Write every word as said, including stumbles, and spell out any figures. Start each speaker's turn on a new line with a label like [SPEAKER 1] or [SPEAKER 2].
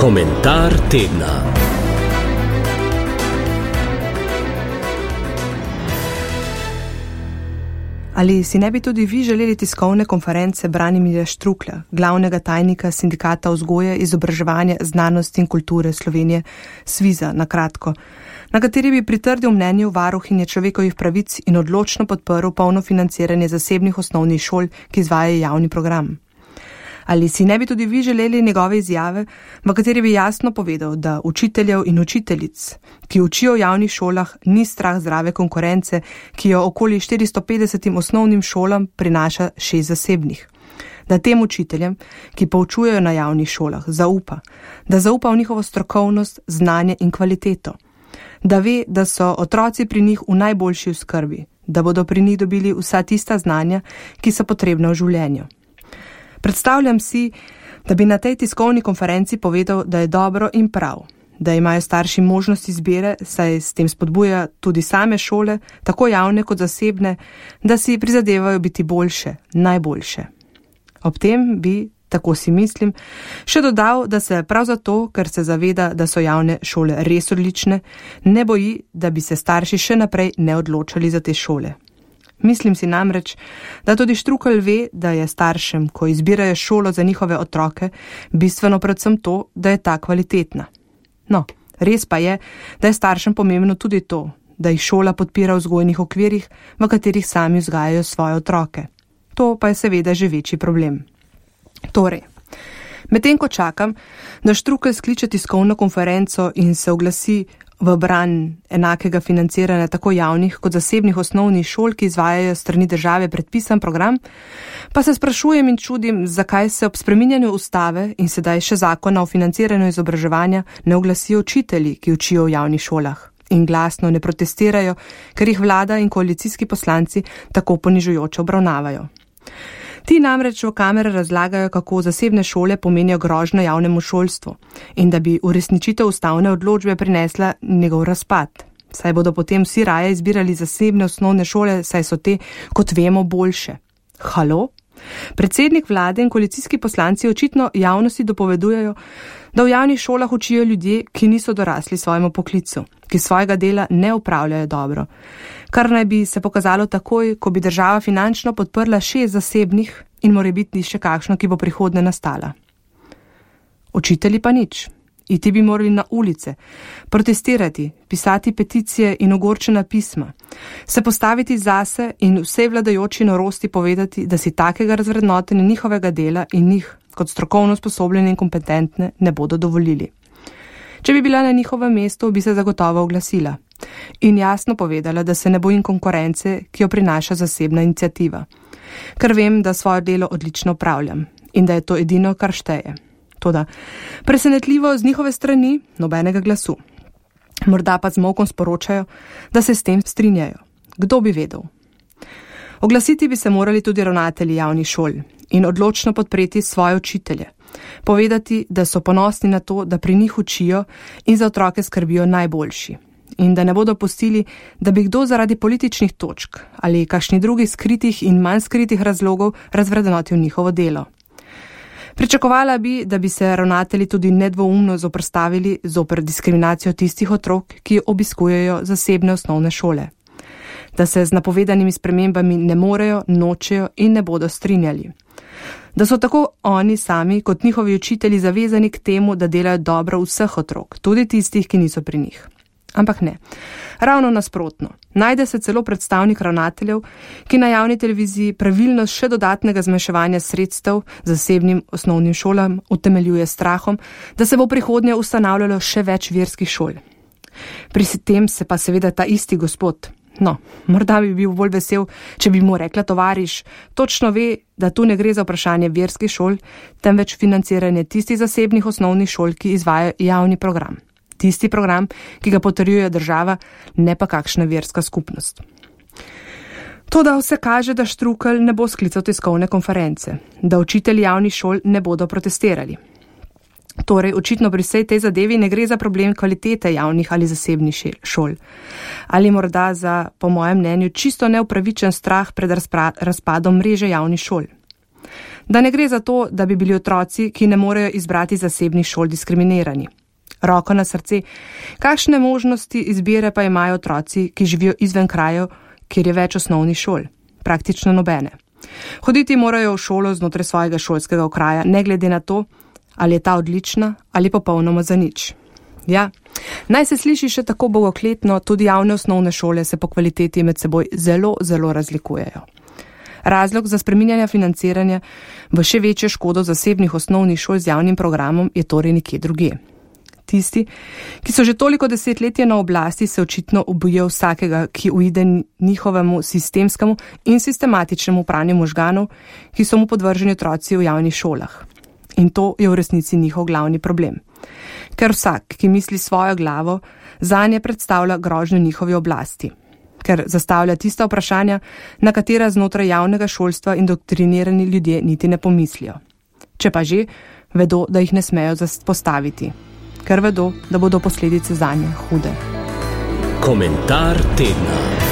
[SPEAKER 1] Komentar tedna.
[SPEAKER 2] Ali si ne bi tudi vi želeli tiskovne konference Branimirja Štruklja, glavnega tajnika Sindikata vzgoje, izobraževanja, znanosti in kulture Slovenije, Sviza na kratko, na kateri bi pritrdil mnenju varuhinje človekovih pravic in odločno podprl polno financiranje zasebnih osnovnih šol, ki izvajajo javni program? Ali si ne bi tudi vi želeli njegove izjave, v kateri bi jasno povedal, da učiteljev in učiteljic, ki učijo v javnih šolah, ni strah zdrave konkurence, ki jo okoli štiristo petdesetim osnovnim šolam prinaša šest zasebnih. Da tem učiteljem, ki poučujejo na javnih šolah, zaupa, da zaupa v njihovo strokovnost, znanje in kvaliteto. Da ve, da so otroci pri njih v najboljši oskrbi, da bodo pri njih dobili vsa tista znanja, ki so potrebna v življenju. Predstavljam si, da bi na tej tiskovni konferenci povedal, da je dobro in prav, da imajo starši možnost izbire, saj s tem spodbuja tudi same šole, tako javne kot zasebne, da si prizadevajo biti boljše, najboljše. Ob tem bi, tako si mislim, še dodal, da se prav zato, ker se zaveda, da so javne šole res odlične, ne boji, da bi se starši še naprej ne odločali za te šole. Mislim si namreč, da tudi Štrukelj ve, da je staršem, ko izbirajo šolo za njihove otroke, bistveno predvsem to, da je ta kvalitetna. No, res pa je, da je staršem pomembno tudi to, da jih šola podpira v vzgojnih okvirih, v katerih sami vzgajajo svoje otroke. To pa je seveda že večji problem. Torej, medtem ko čakam, da Štrukelj skliče tiskovno konferenco in se oglasi v bran enakega financiranja tako javnih kot zasebnih osnovnih šol, ki izvajajo strani države predpisan program, pa se sprašujem in čudim, zakaj se ob spreminjanju ustave in sedaj še zakona o financiranju izobraževanja ne oglasijo učitelji, ki učijo v javnih šolah in glasno ne protestirajo, ker jih vlada in koalicijski poslanci tako ponižujoče obravnavajo. Ti namreč v kamere razlagajo, kako zasebne šole pomenijo grožnjo javnemu šolstvu in da bi uresničitev ustavne odločbe prinesla njegov razpad. Saj bodo potem vsi raje izbirali zasebne osnovne šole, saj so te, kot vemo, boljše. Halo? Predsednik vlade in koalicijski poslanci očitno javnosti dopovedujejo, da v javnih šolah učijo ljudje, ki niso dorasli svojemu poklicu, ki svojega dela ne upravljajo dobro, kar naj bi se pokazalo takoj, ko bi država finančno podprla šest zasebnih in morebitni še kakšno, ki bo prihodnje nastala. Učitelji pa nič. Iti bi morali na ulice, protestirati, pisati peticije in ogorčena pisma, se postaviti zase in vsej vladajoči norosti povedati, da si takega razvrednotenja njihovega dela in njih, kot strokovno sposobljene in kompetentne, ne bodo dovolili. Če bi bila na njihovem mestu, bi se zagotovo oglasila in jasno povedala, da se ne bojim konkurence, ki jo prinaša zasebna iniciativa, ker vem, da svoje delo odlično opravljam in da je to edino, kar šteje. Toda presenetljivo z njihove strani nobenega glasu. Morda pa z molkom sporočajo, da se s tem strinjajo. Kdo bi vedel? Oglasiti bi se morali tudi ravnatelji javnih šol in odločno podpreti svoje učitelje. Povedati, da so ponosni na to, da pri njih učijo in za otroke skrbijo najboljši. In da ne bodo pustili, da bi kdo zaradi političnih točk ali kakšnih drugih skritih in manj skritih razlogov razvrednotil njihovo delo. Pričakovala bi, da bi se ravnatelji tudi nedvoumno zoperstavili zoper diskriminacijo tistih otrok, ki obiskujejo zasebne osnovne šole. Da se z napovedanimi spremembami ne morejo, nočejo in ne bodo strinjali. Da so tako oni sami kot njihovi učitelji zavezani k temu, da delajo dobro vseh otrok, tudi tistih, ki niso pri njih. Ampak ne. Ravno nasprotno. Najde se celo predstavnik ravnateljev, ki na javni televiziji pravilnost še dodatnega zmanjševanja sredstev zasebnim osnovnim šolam utemeljuje strahom, da se bo prihodnje ustanavljalo še več verskih šol. Pri tem se pa seveda ta isti gospod, no, morda bi bil bolj vesel, če bi mu rekla tovariš, točno ve, da tu ne gre za vprašanje verskih šol, temveč financiranje tistih zasebnih osnovnih šol, ki izvajajo javni program. Tisti program, ki ga potrjuje država, ne pa kakšna verska skupnost. Toda vse kaže, da Štrukelj ne bo sklical tiskovne konference, da učitelji javnih šol ne bodo protestirali. Torej, očitno pri vsej tej zadevi ne gre za problem kvalitete javnih ali zasebnih šol. Ali morda za, po mojem mnenju, čisto neupravičen strah pred razpadom mreže javnih šol. Da ne gre za to, da bi bili otroci, ki ne morejo izbrati zasebnih šol, diskriminirani. Roko na srce, kakšne možnosti izbire pa imajo otroci, ki živijo izven krajev, kjer je več osnovnih šol? Praktično nobene. Hoditi morajo v šolo znotraj svojega šolskega okraja, ne glede na to, ali je ta odlična ali popolnoma zanič. Ja, naj se sliši še tako bogokletno, tudi javne osnovne šole se po kvaliteti med seboj zelo, zelo razlikujejo. Razlog za spreminjanje financiranja v še večjo škodo zasebnih osnovnih šol z javnim programom je torej nekje drugje. Tisti, ki so že toliko desetletja na oblasti, se očitno obojijo vsakega, ki uide njihovemu sistemskemu in sistematičnemu pranju možganov, ki so mu podvrženi otroci v javnih šolah. In to je v resnici njihov glavni problem. Ker vsak, ki misli svojo glavo, zanje predstavlja grožnjo njihovi oblasti. Ker zastavlja tista vprašanja, na katera znotraj javnega šolstva indoktrinirani ljudje niti ne pomislijo. Če pa že, vedo, da jih ne smejo postaviti. Ker vedo, da bodo posledice zanje hude.
[SPEAKER 1] Komentar tedna.